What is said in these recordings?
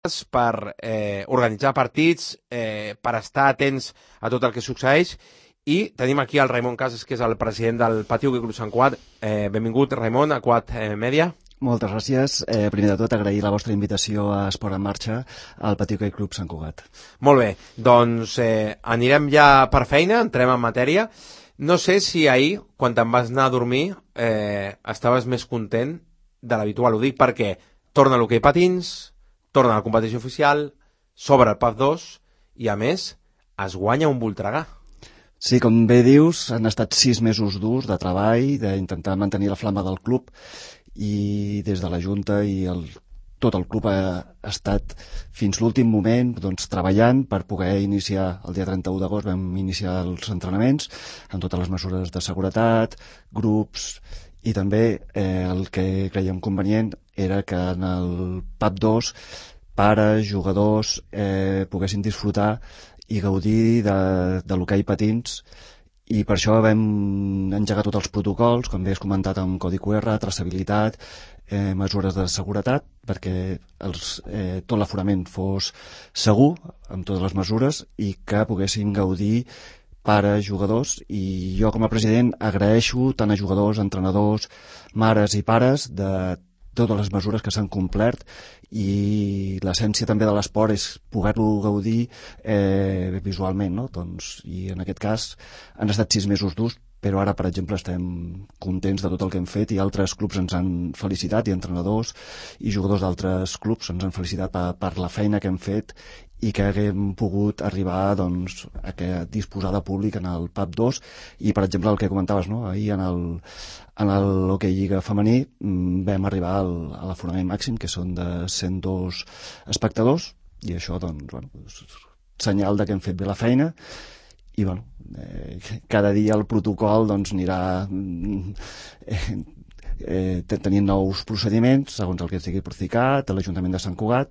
per organitzar partits, per estar atents a tot el que succeeix, i tenim aquí el Raimon Casas, que és el president del Pati Hoquei Club Sant Cugat. Benvingut, Raimon, a Quad Media. Moltes gràcies. Primer de tot, agrair la vostra invitació a Esport en Marxa al Pati Hoquei Club Sant Cugat. Molt bé, doncs anirem ja per feina, entrem en matèria. No sé si ahir, quan te'n vas anar a dormir, estaves més content de l'habitual. Ho dic perquè torna l'hoquei patins, torna a la competició oficial, s'obre el PAF 2 i, a més, es guanya un Voltregà. Sí, com bé dius, han estat 6 mesos durs de treball, d'intentar mantenir la flama del club, i des de la Junta i tot el club ha estat fins l'últim moment treballant per poder iniciar. El dia 31 d'agost vam iniciar els entrenaments amb totes les mesures de seguretat, grups, i també el que creiem convenient era que en el PAP 2 pares, jugadors poguessin disfrutar i gaudir de l'hoquei patins, i per això vam engegar tots els protocols, com bé has comentat, amb codi QR, traçabilitat, mesures de seguretat, perquè tot l'aforament fos segur, amb totes les mesures, i que poguessin gaudir pares, jugadors. I jo, com a president, agraeixo tant a jugadors, entrenadors, mares i pares de totes les mesures que s'han complert, i l'essència també de l'esport és poder-lo gaudir visualment, no? I en aquest cas han estat 6 mesos durs, però ara, per exemple, estem contents de tot el que hem fet, i altres clubs ens han felicitat, i entrenadors i jugadors d'altres clubs ens han felicitat per la feina que hem fet i que haguem pogut arribar a disposar de públic en el PAP 2. I, per exemple, el que comentaves, no? Ahir en l'Hoquei Lliga femení vam arribar a l'aforament màxim, que són de 102 espectadors, i això, senyal de que hem fet bé la feina. I cada dia el protocol anirà tenint nous procediments segons el que sigui practicat a l'Ajuntament de Sant Cugat,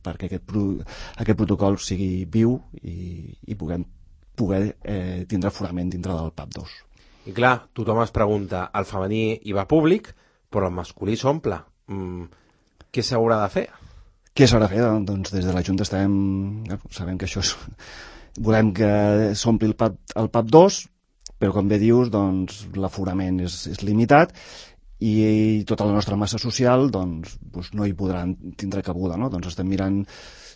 perquè aquest protocol sigui viu i puguem tindre aforament dintre del PAP 2. I clar, tothom es pregunta, el femení hi va públic, però el masculí s'omple. Què s'haurà de fer? Què s'haurà de fer? Doncs des de la Junta sabem que això és... Volem que s'ompli el PAP 2, però com bé dius, l'aforament és limitat, i tota la nostra massa social no hi podran tindre cabuda, no? Estem mirant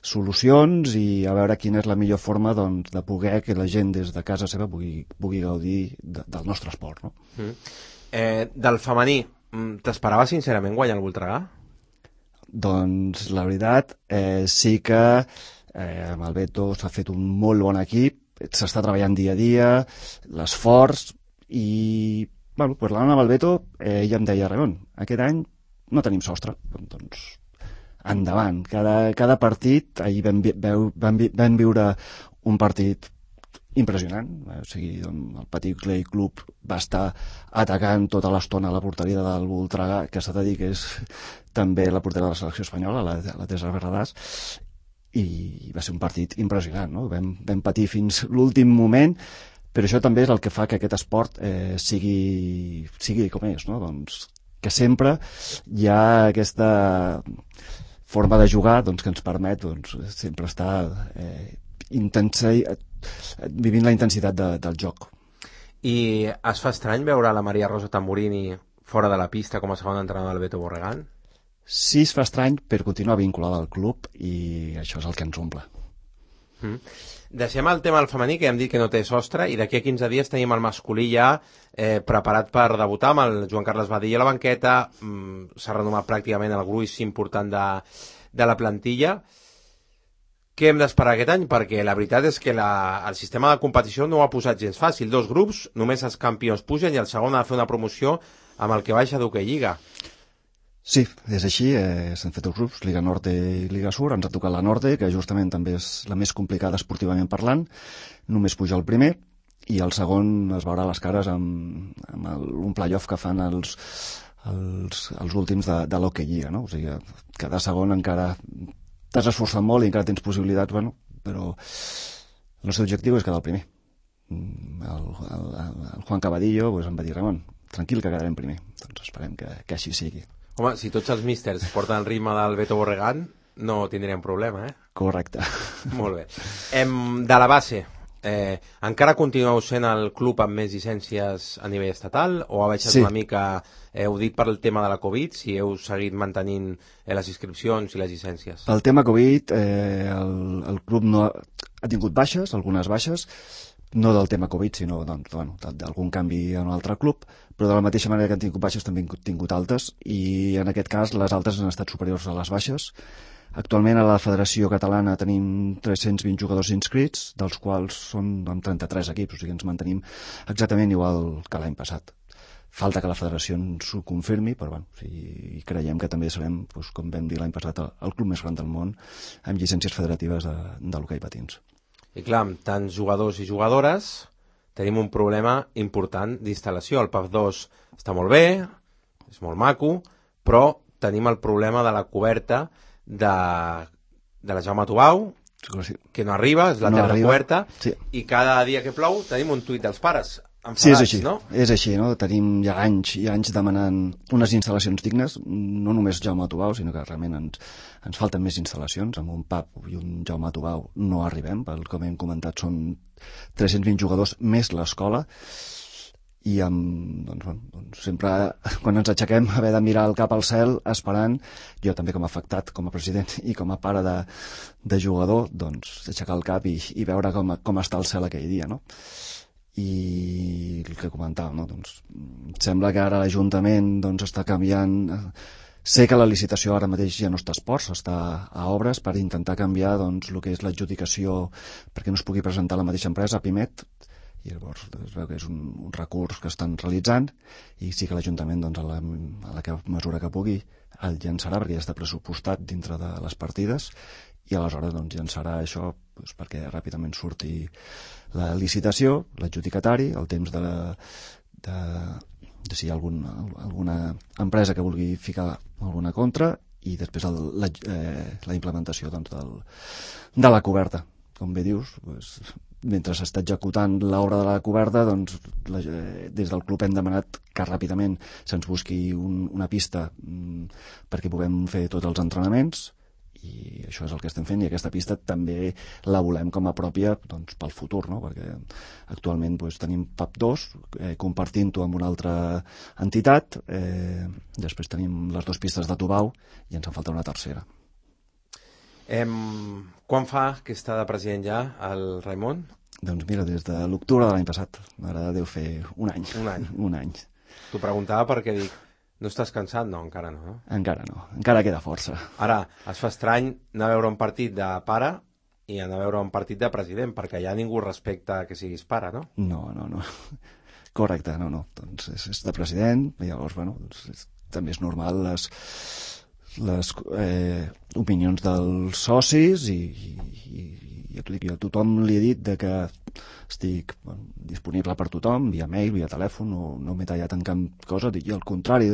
solucions i a veure quina és la millor forma de poder que la gent des de casa seva pugui gaudir del nostre esport, no? Del femení, t'esperava sincerament guanyar el Voltregà? Doncs la veritat, sí que amb el Beto s'ha fet un molt bon equip, s'està treballant dia a dia, l'esforç, i parlant amb el Beto, ella em deia, Ramon, aquest any no tenim sostre, doncs endavant. Cada partit, ahir vam viure un partit impressionant, o sigui, el Pati Hoquei Club va estar atacant tota l'estona a la porteria del Voltregà, que s'ha de dir que és també la portera de la selecció espanyola, la Teresa Berradàs, i va ser un partit impressionant, no? Vam patir fins l'últim moment, però això també és el que fa que aquest esport sigui com és, no? Que sempre hi ha aquesta forma de jugar que ens permet sempre estar vivint la intensitat del joc. I es fa estrany veure la Maria Rosa Tamburini fora de la pista com a segona entrenadora del Beto Borregán? Sí, es fa estrany, però continua vinculada al club, i això és el que ens omple. Deixem el tema del femení, que ja hem dit que no té sostre, i d'aquí a 15 dies tenim el masculí ja preparat per debutar amb el Joan Carles Badilla a la banqueta. S'ha renomat pràcticament el gruix important de la plantilla. Què hem d'esperar aquest any? Perquè la veritat és que el sistema de competició no ho ha posat gens fàcil. 2 grups, només els campions pugen i el segon ha de fer una promoció amb el que baixa d'Hoquei Lliga. Sí, és així, s'han fet 2 grups, Liga Norte i Liga Sur, ens ha tocat la Norte, que justament també és la més complicada esportivament parlant, només puja el primer, i el segon es veurà les cares amb un play-off que fan els últims de l'Hoquei Lliga, no? O sigui, cada segon encara t'has esforçat molt i encara tens possibilitats, però el nostre objectiu és quedar el primer. El Juan Cabadillo em va dir, Ramon, tranquil que quedarem primer, doncs esperem que així sigui. Home, si tots els místers porten el ritme del Beto Borregán, no tindríem problema, Correcte. Molt bé. De la base, encara continueu sent el club amb més llicències a nivell estatal o ha baixat una mica, heu dit per el tema de la Covid, si heu seguit mantenint les inscripcions i les llicències? Pel tema Covid, el club no ha tingut baixes, algunes baixes, no del tema Covid, sinó d'algun canvi en un altre club, però de la mateixa manera que han tingut baixes també han tingut altes, i en aquest cas les altes han estat superiors a les baixes. Actualment a la Federació Catalana tenim 320 jugadors inscrits, dels quals són amb 33 equips, o sigui ens mantenim exactament igual que l'any passat. Falta que la federació ens ho confirmi, però creiem que també serem, com vam dir l'any passat, el club més gran del món amb llicències federatives de l'hoquei patins. I clar, amb tants jugadors i jugadores tenim un problema important d'instal·lació. El PAF 2 està molt bé, és molt maco, però tenim el problema de la coberta de la Jaume Tubau, que no arriba, és la terra coberta, i cada dia que plou tenim un tuit dels pares enfadats, sí, és així, no? És així, no? Tenim ja anys i anys demanant unes instal·lacions dignes, no només Jaume Tubau, sinó que realment ens falten més instal·lacions. Amb un PAP i un Jaume Tubau no arribem, com hem comentat són 320 jugadors més l'escola, i sempre quan ens aixequem haver de mirar el cap al cel esperant, jo també com a afectat, com a president i com a pare de jugador, aixecar el cap i veure com està el cel aquell dia, no? I el que comentàvem, sembla que ara l'Ajuntament està canviant. Sé que la licitació ara mateix ja no està a esports, està a obres, per intentar canviar el que és l'adjudicació perquè no es pugui presentar la mateixa empresa, Pimet, i llavors es veu que és un recurs que estan realitzant, i sí que l'Ajuntament a la mesura que pugui el llançarà, perquè ja està pressupostat dintre de les partides, i aleshores llançarà això perquè ràpidament surti la licitació, l'adjudicatari, el temps de si hi ha alguna empresa que vulgui ficar alguna contra, i després la implementació de la coberta. Com bé dius, mentre s'està executant l'obra de la coberta, des del club hem demanat que ràpidament se'ns busqui una pista perquè puguem fer tots els entrenaments, i això és el que estem fent, i aquesta pista també la volem com a pròpia pel futur, no? Perquè actualment tenim PAP 2 compartint-ho amb una altra entitat, després tenim les 2 pistes de Tubau i ens en falta una tercera. Quan fa que està de president ja el Raimon? Doncs mira, des de l'octubre de l'any passat, ara deu fer un any. Un any. T'ho preguntava perquè dic, no estàs cansat? No, encara no. Encara no, encara queda força. Ara, es fa estrany anar a veure un partit de pare i anar a veure un partit de president, perquè ja ningú respecta que siguis pare, no? No. Correcte, no. És de president, i llavors, també és normal les opinions dels socis, i a tothom li he dit que estic disponible per tothom, via mail, via telèfon, no m'he tallat en cap cosa, i al contrari,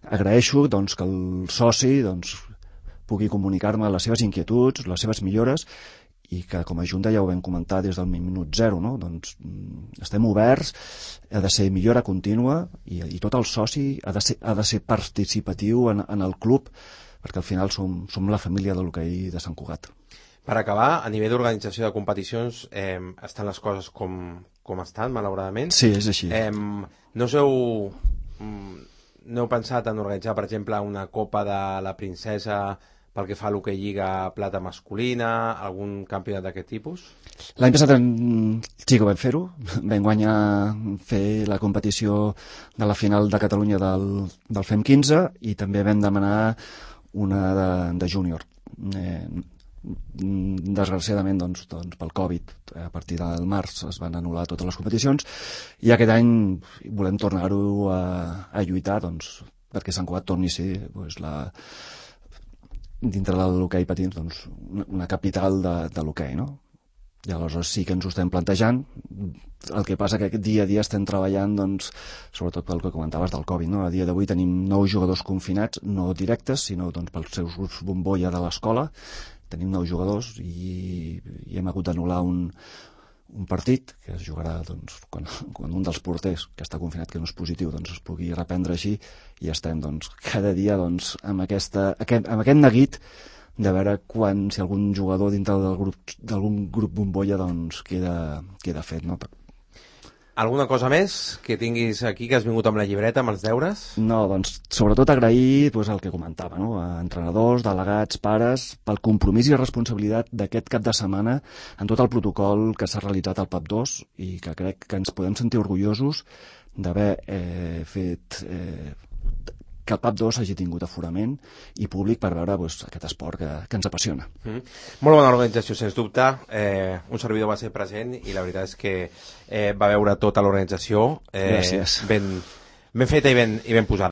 agraeixo que el soci pugui comunicar-me les seves inquietuds, les seves millores, i que com a Junta ja ho vam comentar des del minut zero, no? Estem oberts, ha de ser millora contínua, i tot el soci ha de ser participatiu en el club, perquè al final som la família de l'hoquei de Sant Cugat. Per acabar, a nivell d'organització de competicions, estan les coses com estan, malauradament? Sí, és així. No heu pensat en organitzar, per exemple, una Copa de la Princesa pel que fa a l'hoquei Lliga Plata masculina, algun campionat d'aquest tipus? L'any passat sí que vam fer-ho. Vam fer la competició de la final de Catalunya del FEM 15, i també vam demanar una de júnior. Desgraciadament pel Covid a partir del març es van anul·lar totes les competicions, i aquest any volem tornar-ho a lluitar perquè Sant Cugat torni a ser dintre de l'hoquei patins una capital de l'hoquei, no? I aleshores sí que ens ho estem plantejant. El que passa que dia a dia estem treballant sobretot pel que comentaves del Covid, no? A dia d'avui tenim 9 jugadors confinats, no directes, sinó pels seus grups bombolla de l'escola. Tenim 9 jugadors i hem hagut d'anul·lar un partit que es jugarà quan un dels porters que està confinat, que no és positiu, es pugui reprendre així, i estem cada dia amb aquest neguit de veure si algun jugador dintre d'algun grup bombolla doncs queda fet, no? Alguna cosa més que tinguis aquí, que has vingut amb la llibreta, amb els deures? No, doncs sobretot agrair el que comentava, no? A entrenadors, delegats, pares, pel compromís i responsabilitat d'aquest cap de setmana en tot el protocol que s'ha realitzat al PAP 2 i que crec que ens podem sentir orgullosos d'haver fet que el PAP 2 hagi tingut aforament i públic per veure aquest esport que ens apassiona. Molt bona organització, sens dubte. Un servidor va ser present i la veritat és que va veure tota l'organització Gràcies. ben feta i ben posada.